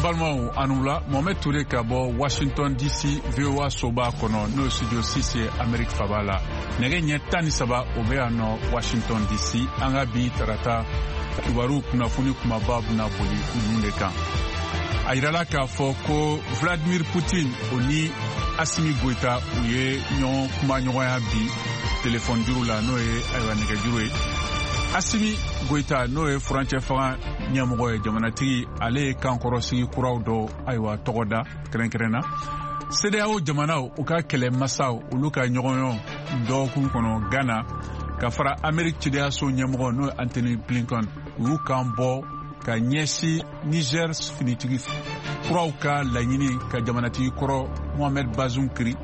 Balimaw, a ni wula. Mohamed Toure ka bɔ Washington DC, VOA soba kɔnɔ, n'o ye studio 6 ye Amerique faba la. Nɛgɛ ɲɛ 13, o bɛ yan nɔ Washington DC. An ka bi tarata kibaru kunnafoni kumaba bɛna boli ninnu de kan. A yirala k'a fɔ ko Vladimir Putin, o ni Asimi Goita, u ye ɲɔgɔn kumaɲɔgɔnya bi telefɔni juru la, n'o ye ayiwa nɛgɛjuru ye. Asimi Goita, n'o ye furancɛ fanga ɲɛmɔgɔ ye, jamanatigi, ale ye kankɔrɔsigi kuraw dɔ ayiwa tɔgɔ da kɛrɛnkɛrɛn na. CEDEAO jamanaw, u ka kɛlɛmasaw, olu ka ɲɔgɔnyɔn dɔgɔkun kɔnɔ Ghana, ka fara Amerique cidenyaso ɲɛmɔgɔ, n'o ye Antony Blinken, u y'u kan bɔ ka ɲɛsin Niger finitigi kuraw ka laɲini ka jamanatigi kɔrɔ Mohamed Bazoum kiri.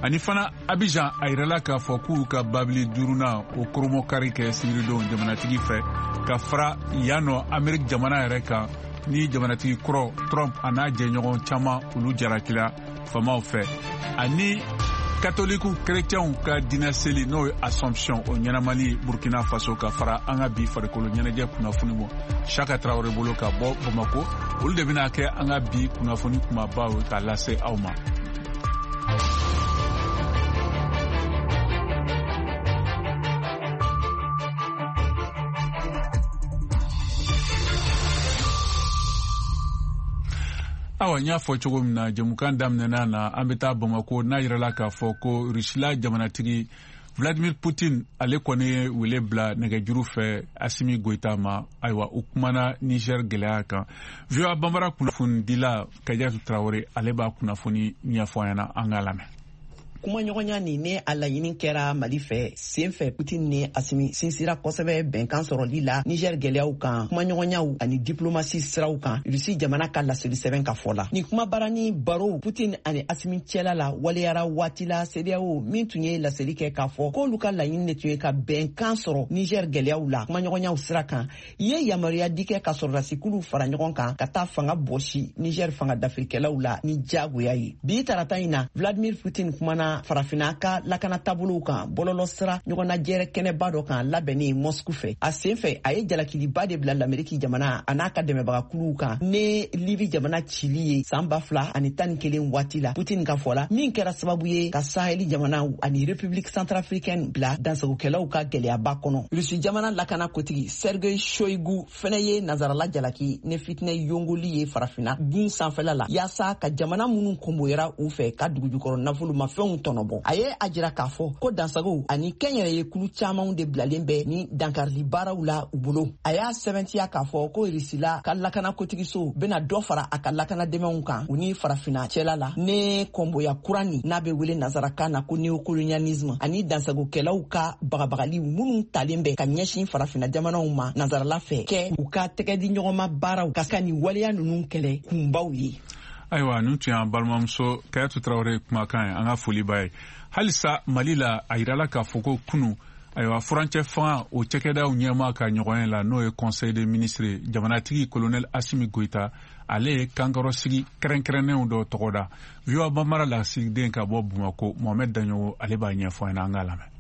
Ani fana Abidjan, a yirala k'a fɔ k'u ka babili duurunan o koromokari kɛ sibiridon jamanatigi fɛ, ka fara yan nɔ Amerique jamana yɛrɛ kan, ni jamanatigi kɔrɔ Trump a n'a jɛɲɔgɔn caman, olu jarakila faamaw fɛ. Ani katoliku kerecɛnw ka diinɛ seli, n'o ye Assomption, o ɲɛnamali Burkina Faso, ka fara an ka bi farikolo ɲɛnajɛ kunnafoni bɔ Saka Tarawele bolo ka bɔ Bamako. Olu de bɛna kɛ an ka bi kunnafoni kumabaw ye k'a lase aw ma. Awa, n y'a fɔ cogo min na jɛmukan daminɛna na, an bɛ taa Bamako, n'a yirala k'a fɔ ko Rusila jamanatigi Vladimir Putin, ale kɔni ye wele bila nɛgɛjuru fɛ Asimi Goita ma. Ayiwa, u kumana Niger gɛlɛya kan. VOA Bambara kunnafonidila Kajatu Tarawele, ale b'a kunnafoni ɲɛfɔ an ɲɛna. An k'a lamɛn. Kumaɲɔgɔnya nin ne a laɲini kɛra Mali fɛ sen fɛ. Putin ni Asimi sinsira kosɛbɛ bɛnkan sɔrɔli la Niger gɛlɛyaw kan, kumaɲɔgɔnyaw ani diplomasi siraw kan, Rusi jamana ka laseli sɛbɛn ka fɔ la. Nin kumabara ni barow Putin ani Asimi cɛla la waleyara waati la CEDEAO min tun ye laseli kɛ k'a fɔ k'olu ka laɲini de tun ye ka bɛnkan sɔrɔ Niger gɛlɛyaw la kumaɲɔgɔnyaw sira kan, ye yamaruya di kɛ ka sɔrɔdasikuluw fara ɲɔgɔn kan ka taa fanga bɔsi Niger fanga dafirikɛlaw la ni jagoya ye. Bi tarata in na, Vladimir Putin kumana Farafina ka lakana taabolow kan bɔlɔlɔ sira ɲɔgɔnnajɛrɛ kɛnɛba dɔ kan labɛnni Moscou fɛ. A sen fɛ, a ye jalakiliba de bila Lameriki jamana a n'a ka dɛmɛbagakuluw kan ne Libi jamana cili ye san 2011 waati la, Putin ka fɔ la, min kɛra sababu ye ka Saheli jamanaw ani République centrafricaine bila dansagokɛlaw ka gɛlɛyaba kɔnɔ. Rusi jamana lakana kotigi Sergei Shoigu fɛnɛ ye nazarala jalaki ne fitinɛ yongoli ye Farafina gun sanfɛla la, yaasa ka jamana minnu konboyara u fɛ ka dugujukɔrɔ nafolomafɛnw tɔnɔbɔ. A ye a jira k'a fɔ ko dansagow ani kɛnyɛrɛye kulu camanw de bilalen bɛ ni dankarili baaraw la u bolo. A y'a sɛbɛntiya k'a fɔ ko Risila ka lakana kotigiso bena dɔ fara a ka lakana dɛmɛw kan u ni Farafina cɛla la, ne kɔnboya kura nin n'a bɛ wele nazarakan na ko néocolonialisme, ani dansagokɛlaw ka bagabagali minnu talen bɛ ka ɲɛsin Farafina jamanaw ma nazarala fɛ, kɛ u ka tɛgɛ di ɲɔgɔnma baaraw ka nin waleya ninnu kɛlɛ kunbaw ye. Ayiwa, nin tun y'an balimamuso Kayatu Tarawele kumakan ye. An ka foli b'a ye. Halisa Mali la, a yirala k'a fɔ ko kunu, ayiwa, furancɛ fanga o cɛkɛdaw ɲɛmaa ka ɲɔgɔn ye la, n'o ye conseil des ministres, jamanatigi colonel Asimi Goita, ale ye kankɔrɔsigi kɛrɛnkɛrɛnnenw dɔ tɔgɔ da. VOA Bambara lasigiden ka bɔ Bamako, Mohamed Daɲogo, ale b'a ɲɛfɔ an ɲɛna. An k'a lamɛn.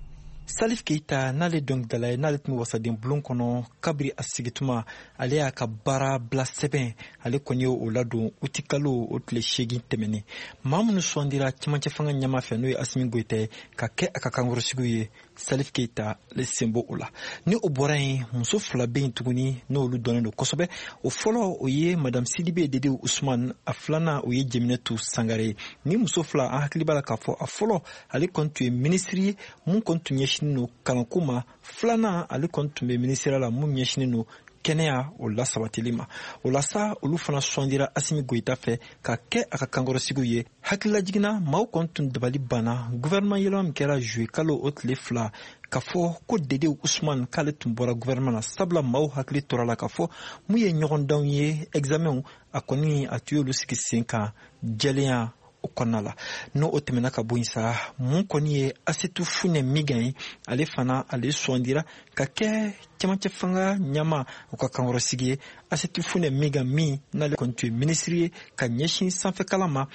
Salif Keita, n'ale dɔnkilidala ye, n'ale tun bɛ wasaden bulon kɔnɔ kabiri a sigituma, ale y'a ka baara bila sɛbɛn, ale kɔni ye o ladon utikalo o tile 8 tɛmɛnen. Maa minnu sugandira cɛmancɛ fanga ɲɛmaa fɛ, n'o ye Asimi Goyita ye, ka kɛ a ka kankɔrɔsigiw ye, Salif Keita ale sen b'o la. Ni o bɔra yen, muso fila bɛ yen tuguni n'olu dɔnnen don kosɛbɛ. O fɔlɔ, o ye Madame Sidibe Dede Usman. A filanan, o ye Jeminatu Sangare ye. Ni muso fila, an hakili b'a la k'a fɔ a fɔlɔ, ale kɔni tun ye minisiri ye mun kɔni tun ɲɛsinnen don kalanko ma. Filanan, ale kɔni tun bɛ minisiriya la mun ɲɛsinnen don kɛnɛya o lasabatili ma. O la sa, olu fana sugandira Asimi Goyita fɛ ka kɛ a ka kankɔrɔsigiw ye. Hakililajiginna, maaw kɔni tun dabali banna gouvernement yɛlɛma min kɛra juillet kalo o tile 2, k'a fɔ ko Dede Usman k'ale tun bɔra gouvernement na, sabula maaw hakili tora la k'a fɔ mun ye ɲɔgɔndanw ye, examenw, a kɔni a tun y'olu sigi sen kan jɛlenya o kɔnɔna la. N'o o tɛmɛna ka bɔ yen sa, mun kɔni ye Asetu Funɛ Migan ye, ale fana ale sugandira ka kɛ cɛmancɛ fanga ɲɛmaa o ka kankɔrɔsigi ye. Asetu Funɛ Migan min n'ale kɔni tun ye minisiri ye ka ɲɛsin sanfɛkalan ma.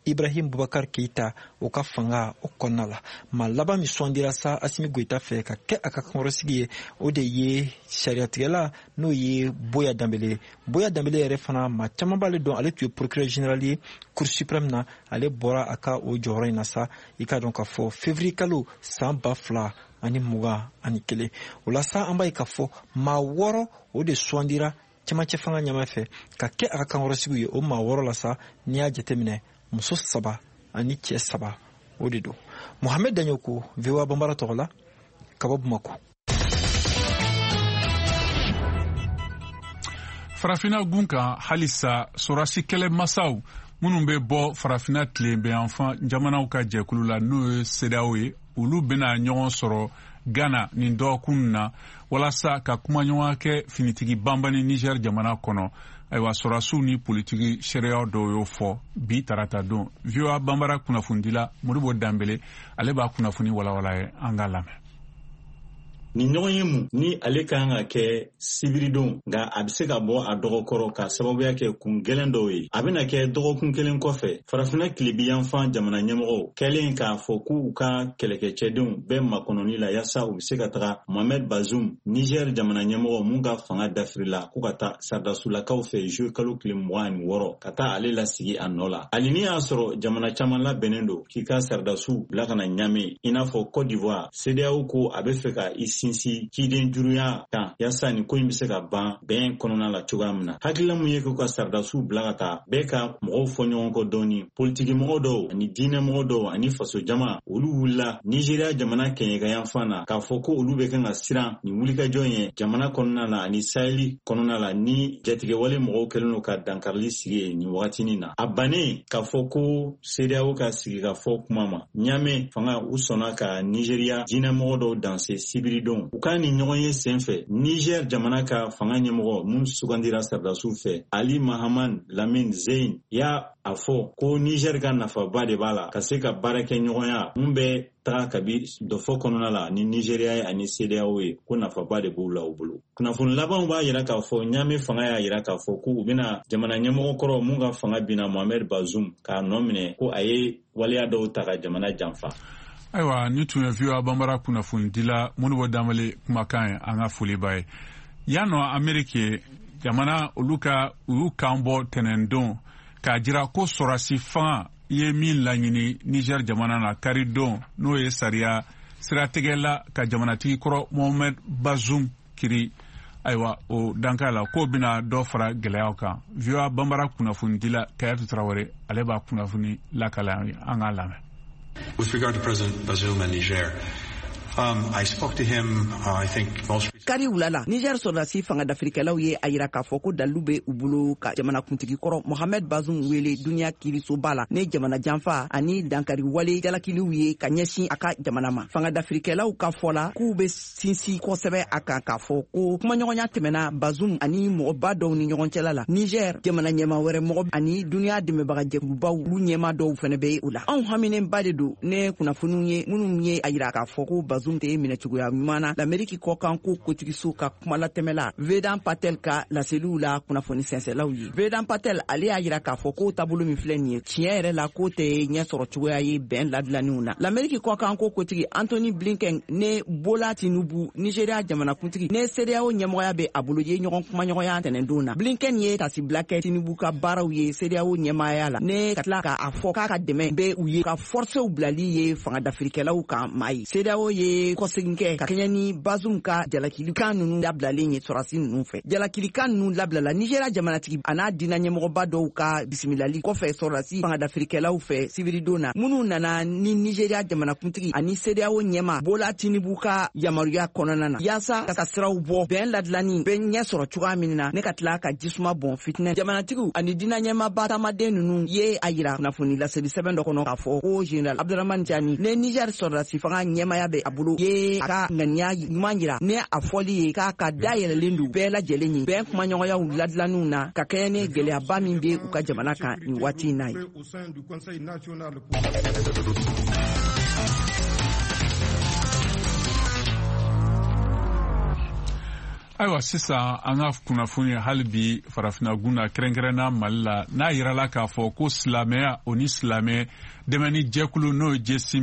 Ibrahim Boubacar Keita o ka fanga o kɔnɔna la. Maa laban min sugandira sa Asimi Goyita fɛ ka kɛ a ka kankɔrɔsigi ye, o de ye sariyatigɛla n'o ye Boya Danbele ye. Boya Danbele yɛrɛ fana, maa caman b'ale dɔn, ale tun ye procureur général ye Cour suprême na. Ale bɔra a ka o jɔyɔrɔ in na sa, i k'a dɔn k'a fɔ février kalo san 2021. O la sa, an b'a ye k'a fɔ maa 6 o de sugandira cɛmancɛ fanga ɲɛmaa fɛ ka kɛ a ka kankɔrɔsigiw ye. O maa 6 la sa, n'i y'a jateminɛ, muso 3 ani cɛ 3 o de don. Mohamed Daɲoko, VOA Banbara tɔgɔ la, ka bɔ Bamako. Farafina gun kan halisa, sɔrɔdasi kɛlɛmasaw minnu bɛ bɔ Farafina tilebenyanfan jamanaw ka jɛkulu la, n'o ye CEDEAO ye, olu bɛna ɲɔgɔn sɔrɔ Ghana nin dɔgɔkun na walasa ka kumaɲɔgɔnya kɛ finitigi banbani Niger jamana kɔnɔ. Ayiwa, sɔrɔdasiw ni politiki sariya dɔw y'o fɔ bi tarata don. VOA Banbara kunnafonidila Modibo Danbele, ale b'a kunnafoni walawala ye, an k'a lamɛn. Nin ɲɔgɔn ye mun ni ale ka kan ka kɛ sibiridon, nka a bɛ se ka bɔ a dɔgɔkɔrɔ ka sababuya kɛ kun gɛlɛn dɔw ye. A bɛna kɛ dɔgɔkun kelen kɔfɛ, Farafinna tilebiyanfan jamana ɲɛmɔgɔw kɛlen k'a fɔ k'u ka kɛlɛkɛcɛdenw bɛɛ makɔnɔni la yaasa u bɛ se ka taga Mohamed Bazoum, Niger jamana ɲɛmɔgɔ mun ka fanga dafirila ko ka taa saradasulakaw fɛ juillet kalo tile 26, ka taa ale lasigi a nɔ la. Hali ni y'a sɔrɔ jamana caman labɛnnen don k'i ka saradasiw bila ka na Ɲame, i n'a fɔ Côte d'Ivoire, CEDEAO ko a bɛ fɛ ka i sinsin ciden juruya kan yaasa nin ko in bɛ se ka ban bɛn kɔnɔna la cogoya min na. Hakilila mun ye k'u ka saradasiw bila ka taa bɛɛ ka mɔgɔw fɔ ɲɔgɔn kɔ dɔɔni, politiki mɔgɔ dɔw ani diinɛ mɔgɔ dɔw ani faso jama, olu wulila Nigéria jamana kɛɲɛkayanfan na k'a fɔ ko olu bɛ kan ka siran nin wulikajɔ ye jamana kɔnɔna la ani Saheli kɔnɔna la, ni jatigɛwale mɔgɔw kɛlen don ka dankarili sigi yen nin wagatinin na. A bannen k'a fɔ ko CEDEAO ka sigi ka fɔ kuma ma, Ɲame fanga u sɔnna ka Nigéria diinɛmɔgɔ dɔw danse sibiridon. U ka nin ɲɔgɔn ye sen fɛ, Niger jamana ka fanga ɲɛmɔgɔ mun sugandira saradasiw fɛ, Ali Mahaman Lamine Zeyn, y'a a fɔ ko Niger ka nafaba de b'a la ka se ka baara kɛ ɲɔgɔnya mun bɛ taga kabi dɔfɔ kɔnɔna la ni Nigéria ye ani CEDEAO ye, ko nafaba de b'u la u bolo. Kunnafoni labanw b'a yira k'a fɔ Ɲame fanga y'a yira k'a fɔ ko u bɛna jamana ɲɛmɔgɔ kɔrɔ mun ka fanga binna, Mohamed Bazoum, k'a nɔ minɛ ko a ye waleya dɔw ta ka jamana janfa. Ayiwa, ni tun ye VOA Banbara kunnafonidila Modibo Danbele kumakan ye, an ka foli b'a ye. Yan nɔ, Ameriki jamana, olu ka u y'u kan bɔ tɛnɛndon k'a jira ko sɔrɔdasi fanga ye min laɲini Niger jamana na karidon, n'o ye sariya siratigɛla ka jamanatigi kɔrɔ Mohamed Bazoum kiri, ayiwa, o danka la k'o bɛna dɔ fara gɛlɛyaw kan. VOA Banbara kunnafonidila Kayatu Tarawele, ale b'a kunnafoni lakala an k'a lamɛn. With regard to President Bazoum and Niger, I spoke to him, I think most Kari wula la, Niger sɔrɔdasi fanga dafirikɛlaw ye a yira k'a fɔ ko dalilu bɛ u bolo ka jamanakuntigi kɔrɔ Mohamed Bazoum wele duniya kiirisoba la ne jamana janfa ani dankari wale jalakiliw ye ka ɲɛsin a ka jamana ma. Fanga dafirikɛlaw ka fɔ la k'u bɛ sinsin kosɛbɛ a kan k'a fɔ ko kumaɲɔgɔnya tɛmɛna Bazoum ani mɔgɔba dɔw ni ɲɔgɔn cɛla la Niger, jamana ɲɛma wɛrɛ mɔgɔ ani duniya dɛmɛbagajɛkulubaw, olu ɲɛma dɔw fɛnɛ bɛ o la. Anw haminenba de don ne kunnafoniw ye minnu ye a yira k'a fɔ ko Bazoum tɛ minɛ cogoya ɲuman na, Lameriki kɔkan ko kotigiso ka kumalatɛmɛla Vedan Patel ka laseliw la kunnafoni sɛnsɛlaw ye. Vedan Patel, ale y'a yira k'a fɔ ko taabolo min filɛ nin ye, tiɲɛ yɛrɛ la, k'o tɛ ɲɛ sɔrɔ cogoya ye bɛn ladilanniw na. Lameriki kɔkan ko kotigi Antony Blinken ne Bola Tinubu, Nigeria jamanakuntigi ne CEDEAO ɲɛmɔgɔya bɛ a bolo, ye ɲɔgɔn kumaɲɔgɔnya tɛnɛndon na. Blinken ye tasibila kɛ Tinubu ka baaraw ye CEDEAO ɲɛmaaya la, ne ka tila k'a fɔ k'a ka dɛmɛ bɛ u ye ka forcew bilali ye fanga dafirikɛlaw kan maa ye. CEDEAO ye kɔsegin kɛ ka kɛɲɛ ni Bazoum ka jalakilikan ninnu labilalen ye sɔrɔdasi ninnu fɛ. Jalakilikan ninnu labilala Nigéria jamanatigi a n'a diinɛ ɲɛmɔgɔba dɔw ka bisimilali kɔfɛ sɔrɔdasi fanga dafirikɛlaw fɛ sibiridon na, minnu nana ni Nigéria jamanakuntigi ani CEDEAO ɲɛma Bola Tinubu ka yamaruya kɔnɔna na yaasa ka siraw bɔ bɛn ladilanni bɛ ɲɛ sɔrɔ cogoya min na, ne ka tila ka jisuma bɔn fitinɛ. Jamanatigiw ani diinɛ ɲɛmaba taamaden ninnu ye a yira kunnafoni laseli sɛbɛn dɔ kɔnɔ k'a fɔ ko général Abdurahmane Tiani ne Niger sɔrɔdasi fanga ɲɛmaya bɛ a bolo ye a ka ŋaniya ɲuman yira ne a fɔli ye k'a ka dayɛlɛlen don bɛɛ lajɛlen ye bɛn kumaɲɔgɔnyaw ladilanniw na ka kɛɲɛ ni gɛlɛyaba min bɛ u ka jamana kan nin waati in na ye. Ayiwa, sisan an ka kunnafoni hali bi farafinagun na, kɛrɛnkɛrɛnna Mali la, n'a yirala k'a fɔ ko silamɛya o ni silamɛ dɛmɛni jɛkulu, n'o ye Jesi